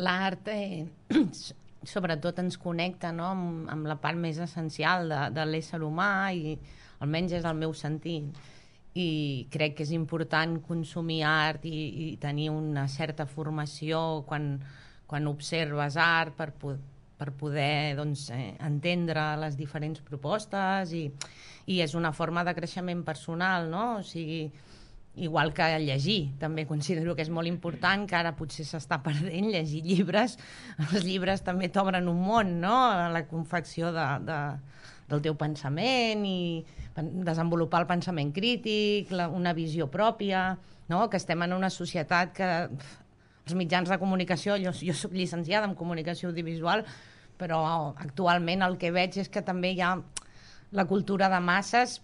l'art sobretot ens connecta, no? Amb la part més essencial de l'ésser humà, i almenys és el meu sentit, i crec que és important consumir art i tenir una certa formació quan observes art per poder doncs, entendre les diferents propostes, i és una forma de creixement personal, no? O sigui, igual que llegir, també considero que és molt important, que ara potser s'està perdent llegir llibres. Els llibres també t'obren un món, no? La confecció del teu pensament i desenvolupar el pensament crític, una visió pròpia, no? Que estem en una societat que els mitjans de comunicació, jo soc llicenciada en comunicació audiovisual, però actualment el que veig és que també hi ha la cultura de masses.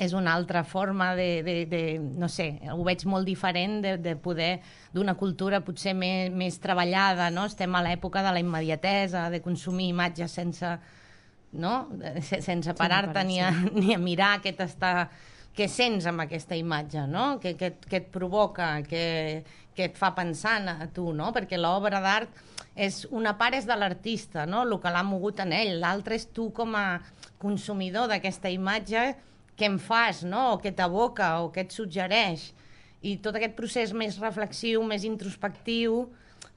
És una altra forma no sé, ho veig molt diferent de poder, d'una cultura potser més treballada, no? Estem a l'època de la immediatesa, de consumir imatges sense parar-te ni a mirar què sents amb aquesta imatge, no? Què et provoca, què et fa pensant a tu, no? Perquè l'obra d'art una part és de l'artista, no? El que l'ha mogut en ell, l'altre és tu com a consumidor d'aquesta imatge, què em fas, no? O què t'evoca, o què et suggereix. I tot aquest procés més reflexiu, més introspectiu,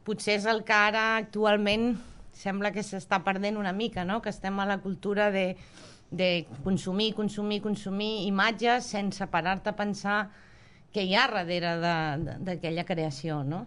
potser és el que ara actualment sembla que s'està perdent una mica, no? Que estem a la cultura de consumir imatges sense parar-te a pensar què hi ha darrere d'aquella creació, no?